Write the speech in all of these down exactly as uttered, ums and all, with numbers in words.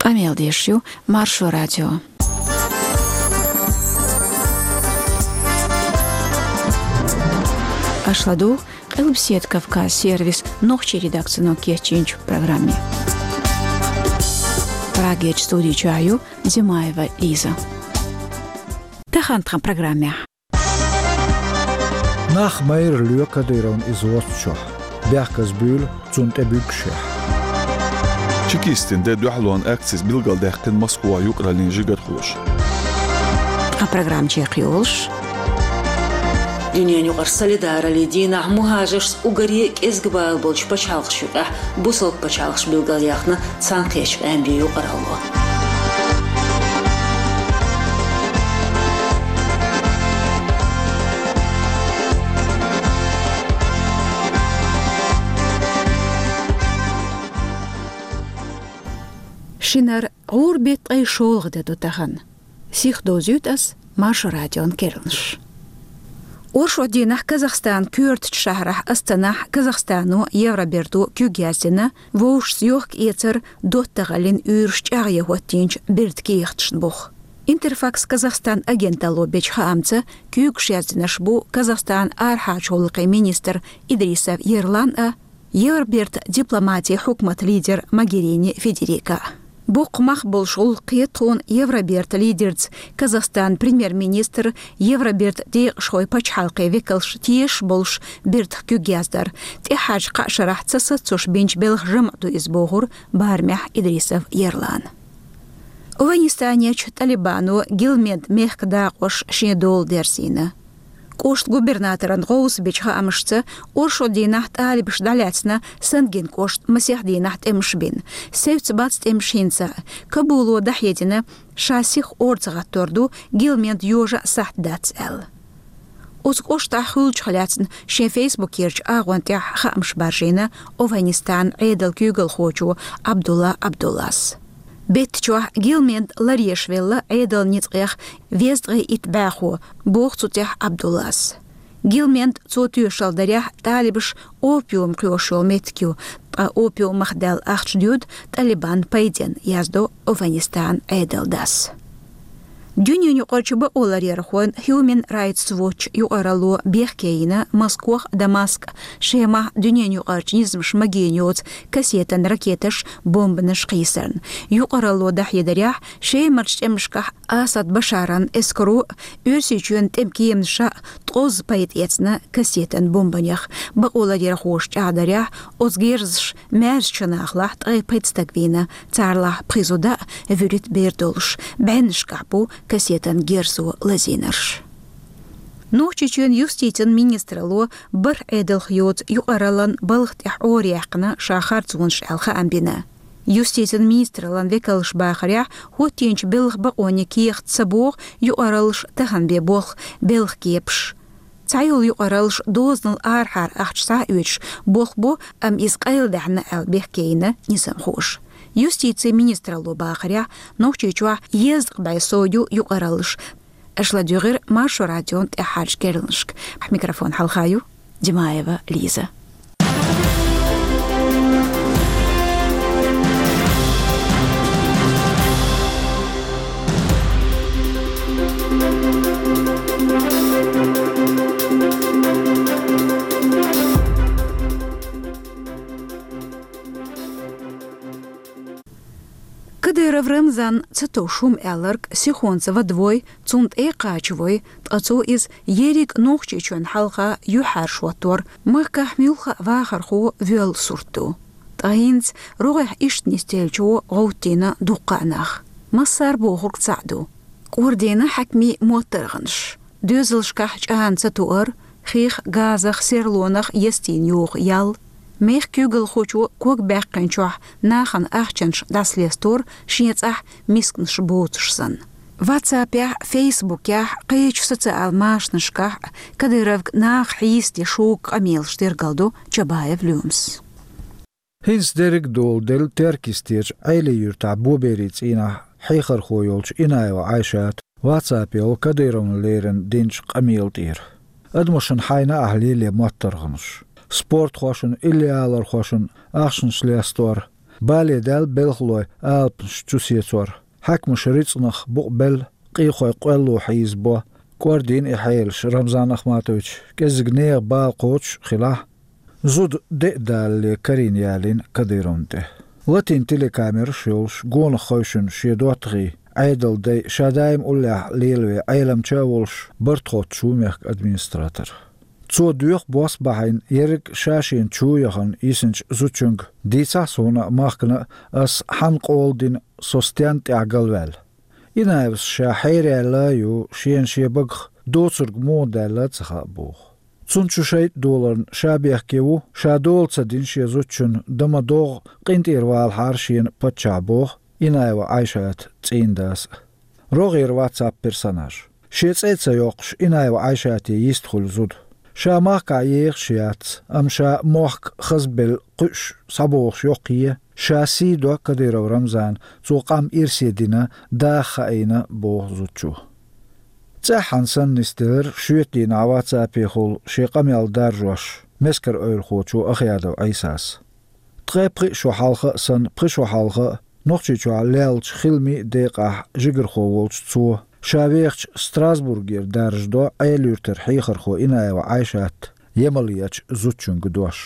Къамел деш ю Маршо радио. Аша ладугӀу Къилбаседа Кавказ сервисан нохчийн редакцино кечйинчу программе. Прагерчу студи чохь ю Димаева Лиза. Тахана тхан программехь. Нах майра лоь Кадыровна иза воцучохь, бехказбуьйлу цунна тӀе буьгушехь. Чекистийн де дуьхьалонан акцис билгалдаьккхина Москвахь юкъараллин жигархоша. Тхан программа чекхйолуш. Дуьненан юкъара солидараллин дийнахь мухӀажаршца уггаре а кӀезга бала болчу пачхьалкхашна юкъахь бусалба пачхьалкхаш билгалъяьхна цхьаьнакхеттачу къематан юкъаралло. Шинара гӀуран беттан ткъе шолгӀа де ду тахана. Сиха довзуьйту ас Маршо радион керланаш. Оршот дийнахь Казахстанан коьртачу шахьарахь Астанахь Казахстано, Евроберто куьг яздина, вовшашца йохка-эцар, доттагӀаллин уьйраш чӀагӀъян хӀоттийначу бертан кехаташна буха. Интерфакс Казахстан агенталло бечу хаамца, куьйгаш яздинарш бу Казахстанан арахьарчу гӀуллакхийн министр Идрисов Ерлан а, Евробертан дипломатин хьукматан лидер Могерини Федерика. Боккха мах болуш гӀуллакх хета тхуна Евробертан лидерца Казахстанан премьер-министр, Евробертан декъашхой, пачхьалкхийн векалш тешаш болуш бертах куьг яздар, тӀаьххьарчу кхаа шарахь ца сацош бинчу белхан жамӀ ду иза, бохура барамехь Идрисов Ерлана. Афганистанерчу ТӀалибано Гилмент мехкан дакъош шен дола дерзийна. КӀоштан губернаторан гӀовс бечу хаамашца, оршот дийнахь тӀалибаша дӀалаьцна Сангин кӀоштан масех дийнахь тӀемаш бина. Севцца бац тӀемаш хӀинца а. Кабуло дӀахьедина, ша сиха орца гӀаттор ду, Гилмент йожа а сахьт дац аьлла. Оцу кӀоштахь хуьлучух лаьцна шен фейсбукерчу агӀон тӀехь хаамаш баржийна Афганистанан Ӏедалан куьйгалхочо Абдулла Абдуллас. Беттачохь Гилмент ларъеш велла Ӏедалан ницкъех везткъе итт бӀаьхо, боху цу тӀехь Абдуллас. Гилмент цо тоьшалла дарехь, тӀалибаш опиум кхоьруш йолу меттиг ю, ткъа опиумах даьлла ахча доьду ТӀалибан пайденна, яздо Афганистанан Ӏедалан дас. Дуьненаюкъарчу бакъоларъярхойн Human Rights Watch юкъаралло бехке йина Москох а, Дамаск а, Шемахь дуьненаюкъарчу низамаша магийна йоцу кассетан ракеташ, бомбанаш кхийсарна. Юкъаралло дӀахьедарехь, Шемарчу тӀемашкахь Асад Башаран эскаро а, Оьрсийчоьнан тӀеман кеманаша а ткъозза пайда эцна кассетан бомбанех. Бакъоларъярхоша чӀагӀдарехь, оцу герзаша маьршачу нахалахь ткъе пхи стаг вийна, царалахь пхи зуда а, вуьрхӀитта бер долуш. БӀеннашкахь бу кассетан герзо лазийнарш. Нохчийчоьнан юстицин министралло бархӀ Ӏедалх йоцу юкъараллан балха тӀехь Ӏораяьккхина ша харцонаш аьлла хаам бина. Юстицин министраллан векалша бахарехь, хӀоттийначу белхан бакъонийн кехат ца боху юкъараллаш тахана бен болх белхан кепаш. Цхьайолу юкъараллаш дозанал арахьара ахча схьа а оьцуш болх бо, амма иза къайладаьхьна аьлла бехке йина низамхоша. Юстицин министралло бахарехь, Нохчийчохь езткъа бӀе сов ю юкъараллаш. Аша ладуьйгӀира Маршо радион тӀаьххьарчу керланашка. Микрофон хьалха ю Димаева Лиза. Кадыров Рамзан ца товш хӀума аьлларг сихонца вадавой, цунна тӀе а кхачавой, ткъа цо иза ерриг Нохчийчоьнна хьалха юьхьӀаьржа хӀоттор, махкахь муьлхха а вахархо воьлла сурт ду. Ткъа хӀинца рогӀехь иштта нисделлачо гӀовттийна дуккха а нах. Массара бохург цхьаъ ду: кӀордийна хьаькамийн моттаргӀанаш. Доьзалшкахь чӀана ца туар, хих, газах, серлонах естийна йоху ял, мехкан куьйгалхочо ког баьккхинчохь нахана ахчанаш дӀасалестор, шен цӀахь мисканаш боцуш санна. Ватсапехь, фейсбукехь, кхечу социал машанашкахь Кадыровга наха хьийсаде шога къамелаш тергалдо Чабаев Лемас. ХӀинца дерриг а доладелла Теркйистерчу Ӏелий-Юьртахь Боберийн цӀийнахь хьехархо йолчу Инаева Ӏайшата ватсапехь Кадыровна леррина динчу къамела тӀера. Адамашна хьайна ахь лелае моттаргӀанаш, спортхошна, иллиалархошна ахчанаш лестор, Бале даьлла белхалой алапаш чу сецор. Хьаькамаша рицкъанах букъ белла, къехой къоьлло хьийзабо, кӀордийна и хьелаш Рамзан Ахматовича, кӀеззига нехан бала кхочуш хилахь, зуда де а далале карийна ялийна Кадыровна тӀе. Латийна телекамераш йолуш, гонах хевшина шен доттагӀий, Ӏедалан дай ша даим уллехь лелаве Ӏеламча а волуш, барт хоттуш ву мехкан администратор. Цо доьху бос бахьийна ерриг а ша-шена чу яхана йисинчу зудчуьнга, дийцахьа суна а, махкана а, ас хьанна къола дина, со стенна тӀехь галваьлла. Инаевс ша хьераьлла а ю, шена шен багах доцург муха даьлла а ца хаьа боху. Цунна чу шайтӀа доларна ша бехке ву, ша дола ца дина шен зудчунна, дан ма догӀу, къинтӀера валахьара шена паччахь боху Инаева Ӏайшата цӀийнан дас а. РогӀера WhatsApp персонаж. Шен цӀе а ца йоккхуш, Инаева Ӏайшате йист хуьлу зуда. Ша махкахь ехаш яц, амма ша мохк хазбелла кхуьуш схьабогӀуш йоккхае, ша сий до Кадыров Рамзана, цо къам ирсе дина, даха хаийна, боху зудчо. ЦӀеххьана санна нисделира шоьтан дийнахь WhatsApp-ехула шен къамел даржош мескар-эвлахочо Ахъядов Ӏийсас. Ткъе пхи шо хьалха а санна, пхи шо хьалха а, Нохчийчохь леллачу хиламийн а декъахь жигархо волчу цо, ша вехачу Страсбургера даржадо Ӏела-Юьртара хьехархо Инаева Ӏайшата емал ечу зудчуьнга дош.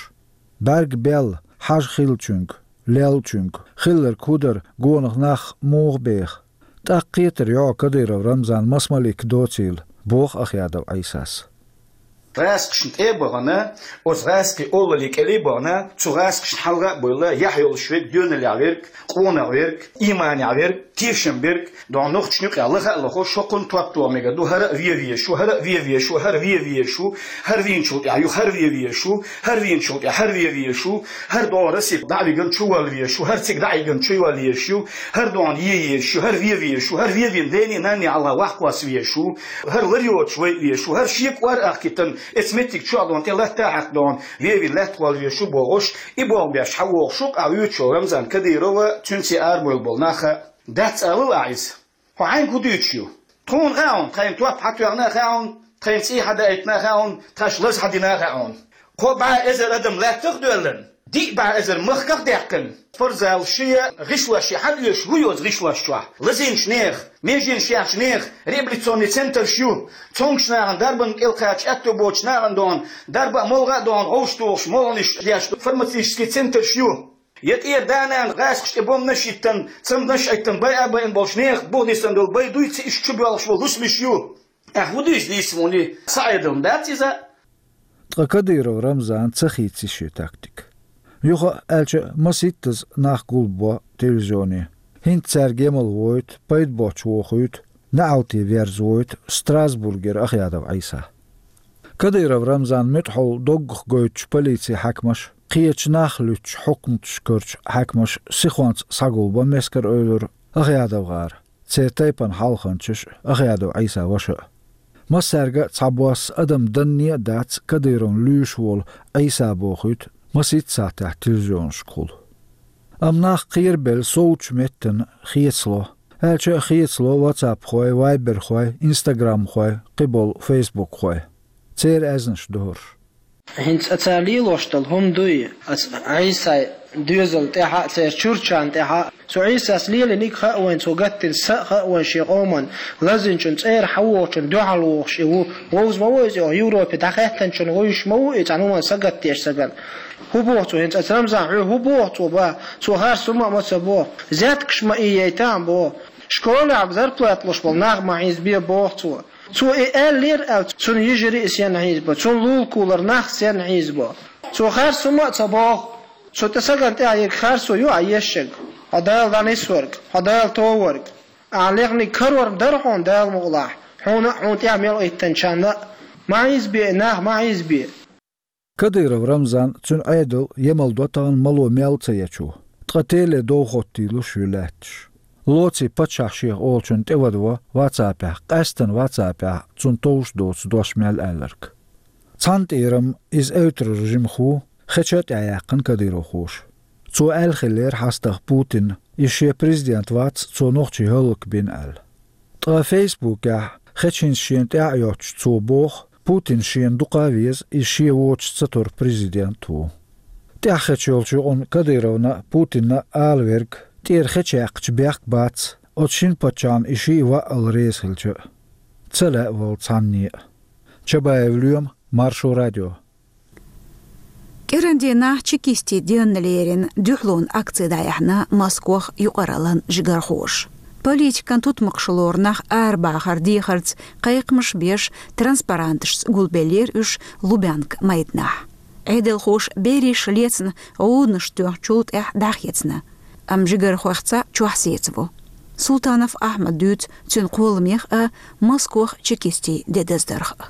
БӀаьрг белла, хьажа хиллачуьнга, леллачуьнга, хилларг хӀун дара, гонах нах муха беха? ТӀаккха кхетар йо Кадыров Рамзан маса малик доцийла, боху Ахъядов Ӏийсас. ГӀаскхашна тӀе а бахана, оцу гӀаскхийн олаллин кӀеле а бахана, цу гӀаскхашна хьалха а бевлла, яхь йолуш верг, доьналлехь верг, къонах верг, ийманехь верг, тешам берг, дона нохчашна юкъахь лаха а лохуш, хӀокхунна топ тоха мегар ду, хӀара а вен везаш ву, хӀара а вен везаш ву, хӀара вен везаш ву, хӀара вийначул тӀаьхьа юха хӀара вен везаш ву, хӀара вийначул тӀаьхьа хӀара вен везаш ву, хӀара догӀу Россе дӀа а вигна чу вала везаш ву, хӀара цига дӀа а йигна чу йола езаш ю, хӀара догӀу е езаш ю, хӀара вен везаш ву, хӀара вен вен дений, нанний хьалха вахкхосса везаш ву, хӀара лар йоцуш вай везаш ву, хӀара шен кӀор а ахкийтина, эцу меттиг чохь дона тӀе латта а хьаькхна дона, вен вен лаьтта гӀолла везаш ву бохуш, и болх беш хьан вогӀуш ву, къа вуьйцуш волу Рамзан Кадырова, цуьнца арабевлла болу нах а. Дац алал ахь иза. Хьо хьайга хӀун дуьйцуш ю? Тхуна хаьа хьуна, тхайна топ хьан тоьхна а хаьа хьуна, тхайна цӀий хьан даийтина а хаьа хьуна, тхаьш лаза хьан дина а хаьа хьуна. Кхо бӀе эзар адам лаьттах а доьллина, диъ бӀе эзар махках а даьккхина, спортзал шен, гӀишлош шен, хьан оьшу хӀун ю оцу гӀишлош чохь? Лазийначу нехан, меженаш яьхначу нехан реабилитационный центраш ю, цомгуш нахана, дарбанна кӀел кхача аьтто боцучу нахана дона, дарба а, молха а дона, гӀовш тухуш, молханаш деш, фармацевтический центраш ю. Я тӀера да-нана гӀаскхаш тӀе бомбанаш а йиттина, цамданаш а Ӏиттина, байа а байина болчу нехан буха нисдина долу бай дуй, цу иштта чу боьлхуш болу лусамаш ю? Ахь хӀун дуьйцу нийса муни? Са Ӏедална дац иза? Ткъа Кадыров Рамзана ца хийци шен тактика. Юха а аьлча, масийттаза нах гулбо телевизионе. ХӀинца цаьрга емал войту, пайда боцуш вохуьйту, неӀалте верза войту Страсбургера Ахъядов Ӏийса. Кадыров Рамзан муьтӀахьовла доггах гойтучу полицин хьаькамаша, кхечу нах луьттучу хьукматашкарчу хьаькамаша сихонца схьагулбо Мескар-Эвлара, АхъядовгӀара, церан тайпана хьалханчаш а, Ахъядов Ӏийсан ваша а. Массаьрга а цхьабосса адам данне а дац Кадыровна луьйш волу Ӏийса бохуьйту маситта сахьтехь телевизионашкахула. Амма нах кхерабелла совцучу меттана хецало, аьлча а хецало ватсапхой, вайберхой, инстаграмхой, кхиболу фейсбукхой. Церан аьзнаш дохуш. ХӀинца цара лелош долу хӀума дуй, аса Ӏийсай доьзал тӀаьхьа а, церан чурчан тӀаьхьа а. Цу Ӏийсас лелийниг хаьа вайн, цо гаттина са а хаьа вайн шен къоман, лазинчун цӀера хьан вохучун дуьхьал вохуш и ву. Вовза ма ву иза, оха Европе дӀахаьттанчун вуьйш ма ву и, цхьана хӀуман сагатдеш сагана. ХӀун боху цо хӀинца, аса Рамзан, хьоьга хӀун боху цо, ба? Цо харц хӀума а ма ца боху. Зеткаш ма ийяйтахьа боху. Школехь зарплата луш болу нах ма хьийзабе боху цо. Цо и аьллера аьлла, цунна йижарий а сенна хьийзабо, цунна лулакулара нах сенна хьийзабо. Цо харц хӀума а ца боху. Цу тӀе сагана тӀехь ерг харцо ю ахь ешшаг? Хьо Дала дӀанисварг, хьо Дала товарг. Ахь лехниг карор дара хьуна Дала мукъалахь, хьуна а, хьуна тӀехь мел Ӏиттанчарна а. Ма хьийзабе и нах, ма хьийзабе. Кадыров Рамзан, цуьнан Ӏедал емал до тахана мало мел ца ечо. Ткъа теле дов хоттийлуш ю лаьтташ. Лоций паччахь шех олучунна тӀевадво ватсапехь, къаьстана ватсапехь цунна товш доцу дош мел аьлларг. Цхьана тӀера-м иза эвтарара жимахо, хеча а тӀаьхьаяьккхина кадыровхоша. Цо аьлла хиллера хьастагӀа Путинна, иза шен президент вац, цо нохчий хӀаллакбина аьлла. Ткъа фейсбукехь, хеча хӀинца шена тӀаьхьа а йоцуш, цо боху, Путин шена дукха а веза, иза шен воцуш ца тора президент ву. ТӀехьа хеча йолчу юкъанна Кадыровна а, Путинна а ала верг, тӀера хеча яьккхича бехк бац, оцу шина паччахьна и шиъ ваъал реза хилча а. Ца лаьа вала цхьанне а. Чабаев Лоьма, Маршо радио. КӀиран дийнахь чекистийн денна лерина дуьхьалонан акци дӀаяьхьна Москох юкъараллин жигархоша. Политикан тутмакхаша лору нах арабахар дехарца кхайкхамаш беш, транспаранташца гулбеллера уьш Лубянка майданахь. Ӏедалхоша берриш лецна гӀуданаш тоьхначул тӀаьхьа дӀахецна, амма жигархойх цхьаъ чохь сецаву. Султанов Ахьмада дуьйцу цуьнан кхолламех а, Москох чекистийн де даздарх а.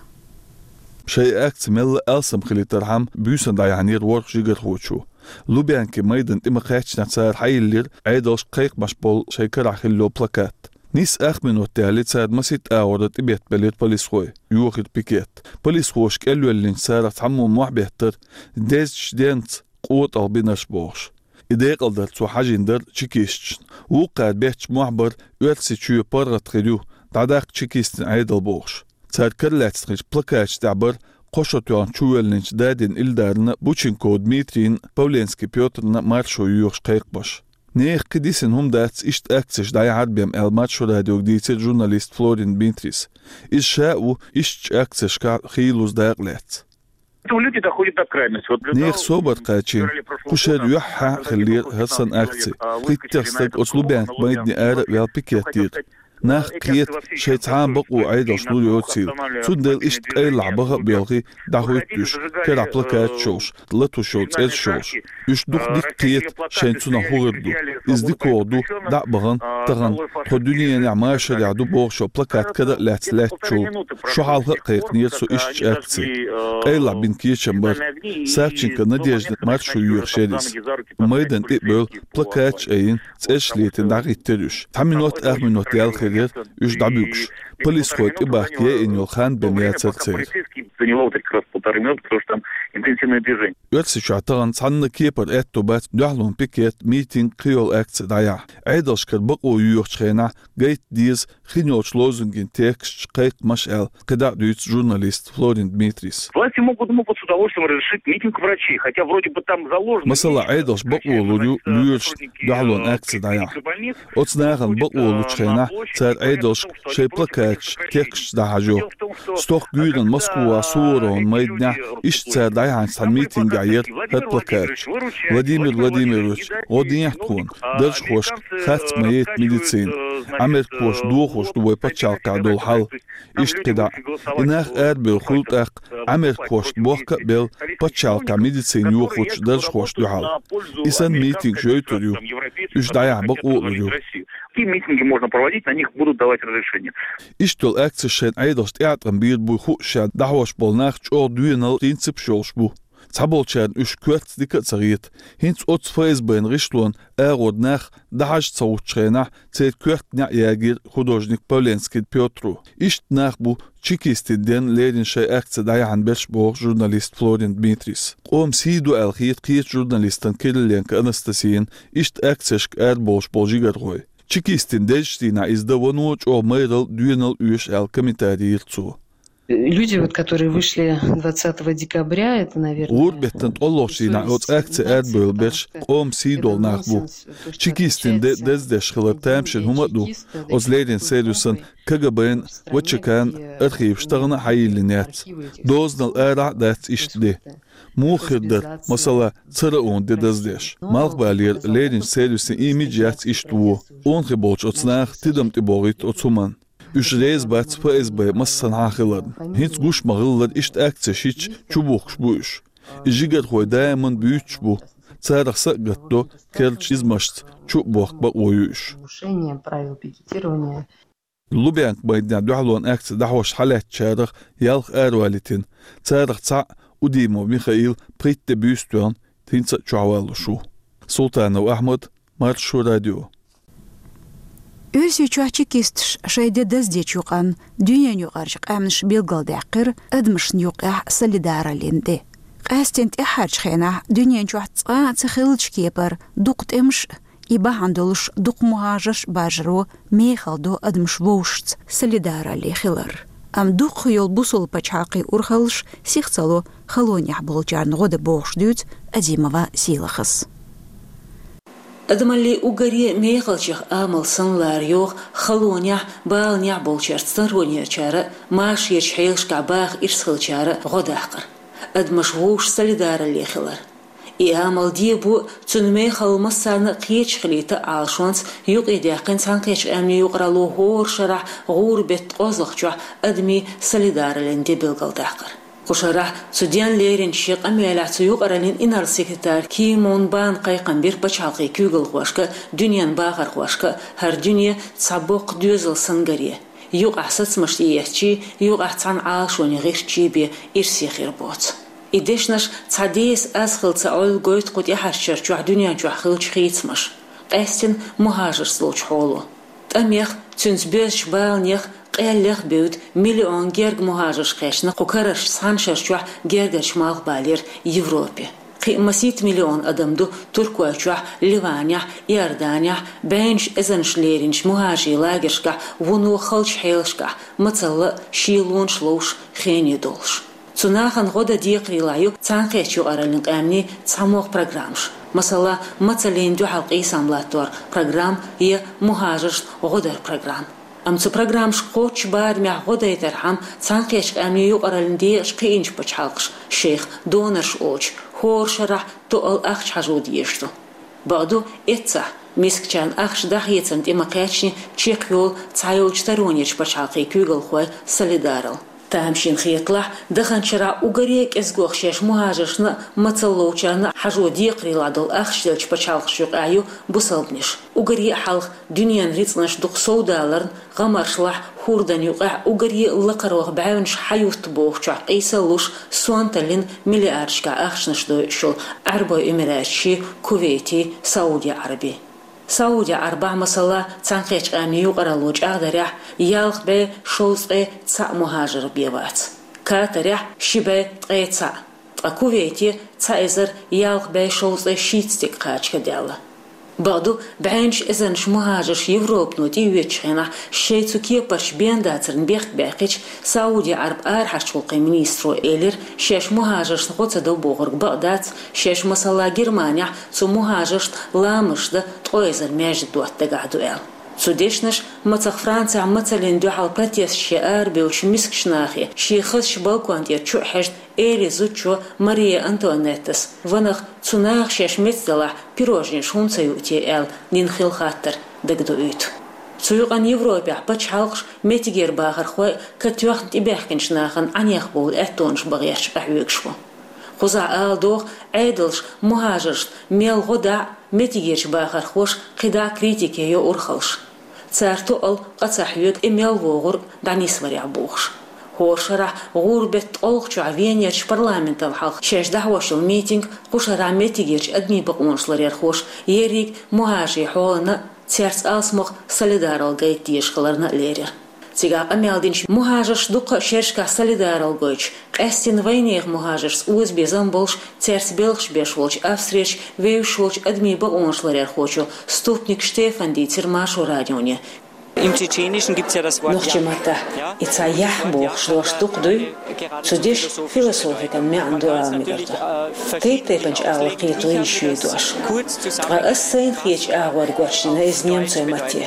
Шайн акци мелла а алсам хилийтархьама, буьйсанна дӀаяьхьнера ворхӀ жигархочо. Лубянкин майдан тӀе ма-кхаьччинехь цара хьайиллира Ӏедалшка кхайкхамаш болу шайн карахь хилла йолу плакат. Нийсса ах минот яьлча цара масийтта агӀор тӀебеттабелира полисхой, йохийра пикет. Полисхоша кӀелвеллинчу царах цхьаммо мохь беттара, дезачу денца къотӀалла бинарш бохуш. И декъалдар цо хьажийна дара чекисташна. Вукхара бетташ мохь бара, Оьрсийчоь паргӀат хир ю, дӀадаккха чекистийн Ӏедал бохуш. Цара каралаьцна хиллачу плакаташ тӀехь бара кхо шо тоьхна чувоьллинчу Дадин Илдарна, Бученков Дмитрийна, Павленский Пётрна маршо йоьхуш кхайкхамаш. Нехан кхин дисина хӀума дац иштта акцеш дӀаяхьар бен аьлла, Маршо радиога дийцира журналист Флорин Дмитрийс. Иза ша а ву ишттачу акцешкахь хийлаза дакъа лаьцна. Люди доходят до крайности. Вот для Нехан того, собар кхачийна, кху шеран юьххьехь хиллера хӀара санна акци. ПхийттагӀа стаг оцу Лубянкин майдане ара а ваьлла пикет дира. Нах кхета, шайн цхьана бакъо Ӏедалшна лур йоцийла. Цундела иштта къайлахь баха а боьлхий, дӀахӀуьтту уьш, карахь плакаташ йолуш, латош йолу цӀераш йолуш. Уьш дукха дика кхета, шайна цунах хӀун хир ду. Иза дикогӀа ду, дӀа а бахана, тахана тхо дуьненахь машарехь ду бохуш йолу плакат кара а лаьцна лаьттачул. Шо хьалха а кхайкхинера со ишттачу акци. Къайлахь бина кечам бара. Савченко Надеждина маршо йоьхуш яра иза. Майдан тӀе а бевлла, плакаташ а айина, цӀераш летийна дӀахӀиттира уьш. Цхьа минот, ах минот яьлла хир яра уьш дӀабуьгуш. Полисхой тӀебахка яйина йолу хан бен яцара церан. Заняло вот как раз полторы минуты, потому что там интенсивное движение. Оьрсийчохь тахана цхьанна кепара аьтто бац дуьхьалонан пикет, митинг, кхин йолу акци дӀаяхьа. Ӏедалшкара бакъо йоьхучу хенахь гайта деза хин йолчу лозунган тексташ, кхайкхамаш аьлла, кхидӀа а дуьйцу журналиста Флорин Дмитрийс. Власти могут, могут с удовольствием разрешить митинг врачей, хотя вроде бы там заложено. Масала, Ӏедалша бакъо лур ю лоьрашна дуьхьалонан акци дӀаяхьа. Оцу нахана бакъо лучу хенахь цара Ӏедалшка шайн плакаташ, тексташ дӀахьажо. Стохка гуьйранна Москвахь Суворовн майданехь иштта цара дӀаяьхьначу цхьана митингехь яра хӀара плакаташ. Владимир Владимирович, гӀо дехьа тхуна, даржхошка харц ма яйта медицина. Ӏамеркхоша дохош ду вай пачхьалкхехь долу хьал. Иштта кхидӀа а. И нах арабевлла хуьлу тӀаккха, Ӏамеркхошна бохка а белла, пачхьалкхехь медицина йохочу даржхошна дуьхьал. И санна митингаш йойтур ю. Уьш дӀаяхьа бакъо а лур ю. Какие митинги можно проводить, на них будут давать разрешение. Иштта йолу акцеш шайна Ӏедалша тӀеӀаткъам бийр буй хууш, ша дӀахьош болу нах чӀогӀа доьналла принципаш йолуш бу. Цхьаболчарна уьш коьртаца дика а ца хета. ХӀинца оцу ФСБ-н гӀишлонан агӀор нах дӀахьажа ца гӀуттучу хенахь, церан коьрта неӀ ягийра художник Павленский Пётро. Иштта нах бу чекистийн денна лерина шайн акци дӀаяхьна берш, боху журналиста Флорин Дмитрийс. Къоман сий ду аьлла хета кхечу журналистана Кириленко Анастасияна иштта акцешка арабовлуш болу жигархой. Чекистийн дезачу дийнахь иза дан вано чӀогӀа майралла, доьналла оьшу аьлла комментари йира цо. Люди, вот, которые вышли двадцатого декабря, это, наверное, ГӀуран беттан ткъолгӀачу дийнахь оцу акци арабевлла берш къоман сий долу нах бу. Чекистийн де даздеш хилар тамашийна хӀума а ду. Оцу леррина сервисан, КГБ-н, ВЧК-н архиваш тахана а хьайиллина яц. Дозанал арахь а дац иштта де. Муха хир дара, масала, цара онан де даздеш? Малхбалера лерринчу сервисан имидж яц иштта вон. Онан хи болчу оцу наха тидам тӀебогӀуьйту оцу хӀуманна. Уьш реза бац ФСБ массанхьа а хиларна. ХӀинца гуш ма-хиллара, иштта акцеш йича чубухкуш бу уьш. И жигархой даиман буьйцуш бу. Царах са а гатдо, керлачу низамашца чу а бохка бакъо ю уьш. Нарушение правил пикетирования. Лубянка майданехь дуьхьалонан акци дӀахьош хьалаьцначарах ялх аравалийтина. Царах цхьаъ, Удимов Михаил, пхийтта де буьйса тоьхна, хӀинца а чохь валлуш ву. Султанов Ахьмад, Маршо радио. Оьрсийчохь чекисташ шайн де даздечу юкъанна дуьненаюкъарчу къаьмнаша билгалдаьккхира адамашна юккъехь солидараллин де. Къаьсттина тӀаьххьарчу хенахь дуьнен чохь цкъа а ца хиллачу кепара дукха тӀемаш а, и бахьана долуш дукха мухӀажарш а баржаро мехала до адамаш вовшашца солидаралле хилар. Амма дукхах йолу бусалба пачхьалкхийн урхаллаш сих ца ло халонехь болчарна гӀо дан бохуш дуьйцу Азимова Сийлахьас. Адамаллин уггаре мехалчех амал санна лара йогӀу халонехь, баланехь болчаьрца таронерчара, машарерчу хьелашкахь баха ирс хилчара гӀо даккхар, адамаш вовшашца солидаралле хилар. И амал дебо, цуьнан мехалла массарна а кхеташ хилийта Ӏалашонца юкъадаьккхина Цхьаьнакхеттачу Къаьмнийн юкъаралло хӀора шарахь гӀуран беттан кхозлагӀчохь адамийн солидараллин де билгалдаккхар. Кху шарахь цу денна леринчу шен къамелехь цу юкъараллин инарла-секретарь Ки Мун Бан кхайкхам бира пачхьалкхийн куьйгалхошка а, дуьненан бахархошка а, хӀара дуьне цхьа боккха доьзал санна гаре, юкъахь сацамаш тӀеэцчий, юкъахь цхьана Ӏалашонан гӀирсачий бен ирсе хир боцу. И дешнаш цхьа деса аз хилла ца Ӏойла гойту кху тӀаьхьарчу шарчохь дуьнен чохь хиллачу хийцамаша, къаьстина мухӀажаршца долчу хьоло. ТӀамех, цуьнца боьзначу баланех, къеллех а бевдда, миллион герга мухӀажарш кхаьчна кху карарчу цхьана шарчохь гергарчу Малхбалера Европе. Кхин а масийтта миллион адам ду Туркойчохь, Ливанехь, Иорданехь, бӀеннаш эзарнаш леринчу мухӀажарийн лагершкахь вуно халчу хьелашкахь, мацалла а, шелонаш ловш, хене долуш. Цу нахана гӀо дан декхарийлахь ю Цхьаьнакхеттачу Юкъараллин Къаьмнийн цхьамогӀа программаш. Масала, мацаллина дуьхьал къийсам латтор программа я мухӀажаршна гӀо дар программа. Амма цу программашка кхоччуш барамехь гӀо дайтархьама Цхьаьнакхеттачу Къаьмнийн Юкъараллин декъашка кхиъначу пачхьалкхаша шайх донорш олучу хӀора шарахь тоъал ахча хьажо дезаш ду. Бакъду, эццахь, мискачарна ахча дӀахецарна тӀе ма-кхаьчний чекхйолу цхьайолчу таронерчу пачхьалкхийн куьйгалхойн солидаралла. Тамашийна хеталахь, даханчу шарахь уггаре а кӀезигох шаьш мухӀажаршна а, мацалла ловчарна а хьажо декхарийлахь долу ахча деллачу пачхьалкхашна юкъахь ю бусалбанаш. Уггаре а хьалха дуьненан рицкъанаш дукха совдаларна, гӀамаршлахь, хӀордан юкъахь уггаре а лакхарох бӀаьвнаш хьаютту бохучохь къийсалуш, сонталлина миллиардашкахь ахчанаш дойуш йолу Ӏаьрбойн Эмираташий, Кувейтий, Сауди Ӏаьрбий. Сауди Ӏаьрбахь, масала, Цхьаьнакхеттачу Къаьмнийн Юкъаралло чӀагӀдарехь, ялх бӀе шовзткъе цхьаъ мухӀажар бен вац. Катарехь ши бӀе ткъе цхьаъ, ткъа Кувейте цхьа эзар ялх бӀе шовзткъе шийтта стаг кхача даьлла. Бакъду, бӀеннаш эзарнаш мухӀажарш Европано тӀеоьцучу хенахь, шайн цу кепарчу бен дацарна бехк баьккхича, Сауди Ӏаьрбийн арахьарчу гӀуллакхийн министро элира, шаьш мухӀажаршна гӀо ца до бохург бакъ дац, шаьш, масала, Германехь цу мухӀажаршна ламазаш дан ткъа эзар маьждиг дотта дагахь ду аьлла. Цу дешнаша, мацах, Францехь мацаллина дуьхьал протесташка арабевллачу мискачу нахе шен хазачу балкон тӀера чу а хьаьжна, элира зудчо Мария Антуанеттас: «Ванах, цу наха шаьш меца делахь, пирожнеш хӀунда ца юу те?» — аьлла, дина хилла хаттар дагадоуьйту. Цу юкъанна Европехь пачхьалкхаш, меттигера бахархой а катоьхна тӀебаьхкинчу нахана Ӏанех бовла аьттонаш бан гӀерташ къахьоьгуш бу. Кхузахь ала догӀу, Ӏедалша мухӀажаршна мел гӀо дӀа а, меттигерчу бахархоша кхидӀа а критике йо урхаллаш. Цара тоъал къа ца хьоьгу, и мел вогӀург дӀанисварехь бохуш. ХӀора шарахь гӀуран беттан ткъолгӀачохь Венерчу парламентал хьалха шаьш дӀахьош йолу митинг кху шарахь меттигерчу адамийн бакъонаш ларъярхоша ерриг мухӀажарийн хьолана а, цаьрца алсамох солидаралла гайта дезаш хиларна а лерира. Цигахь къамел динчу мухӀажарша дуккха а шерашкахь солидаралла гойтуш, къаьстина вайнехан мухӀажаршца озабезам болуш, цаьрца белхаш беш волчу Австрерчу вевзаш волчу адамийн бакъонаш ларъярхочо Ступник Штефана дийцира Маршо радионе. Im Tschetschenischen gibt es ja das Wort Нохчийн маттахь и цхьа «яхь» бохуш дош дукха дуй? Цу дешан философикан маьӀна ду ала мегар ду. Тайп-тайпанчу агӀор кхето йиш ю и дош. Ткъа ас сайна хетачу агӀор гочдина иза немцойн матте.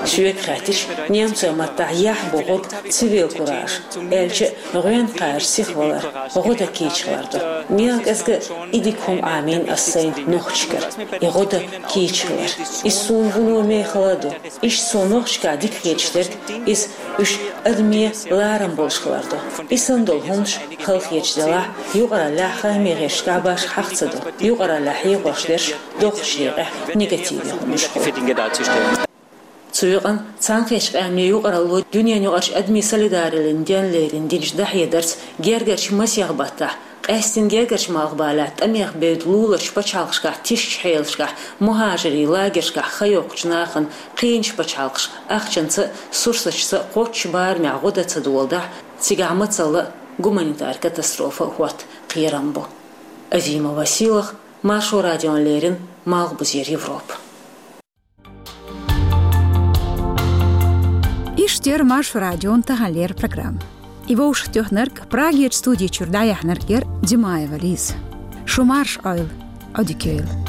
Соьга хаьттича, немцойн маттахь «яхь» бохург цивил кураж, аьлча а, гӀоьнна кхача сихвалар, гӀо дан кийча хилар ду. Мел кӀезга а и дика хӀума Ӏамийна ас сайна нохчашкара, и гӀо дан кийча хилар. Иза суна вуно мехала а ду. Иштта суна нохчашкахь дика хеташ дерг иза уьш адамийн ларам болуш хилар ду. И санна долу хӀуманаш, халахеташ делахь, юкъараллехь хаамийн гӀирсашкахь башха хьаха ца до. Юкъараллехь хьехош дерш доккхачу декъехь негативе хӀуманаш хуьлу. Цу юкъанна Цхьаьнакхеттачу Къаьмнийн Юкъаралло дуьненаюкъарчу адамийн солидараллин денна лерина динчу дӀахьедарца гергарчу масех баттахь, къаьстина гергарчу Малхбалехь тӀамех бевдда луларчу пачхьалкхашкахь тишачу хьелашкахь, мухӀажарийн лагершкахь хан йоккхучу нахана кхиъначу пачхьалкхаша ахчанца а, сурсаташца а кхоччуш барамехь гӀо дан ца доладахь, цигахь мацалла а, гуманитар катастрофа а хӀотта кхерам бу. Азимова Сийлахь, Маршо радиона леррина, Малхбузера Европа. Иштта яра Маршо радион таханлера программа. И вовшахтоьхнарг, Прагерча студи чуьра дӀаяьхьнарг яр Димаева Лиза. Шу марша Ӏойла, Ӏодика йойла.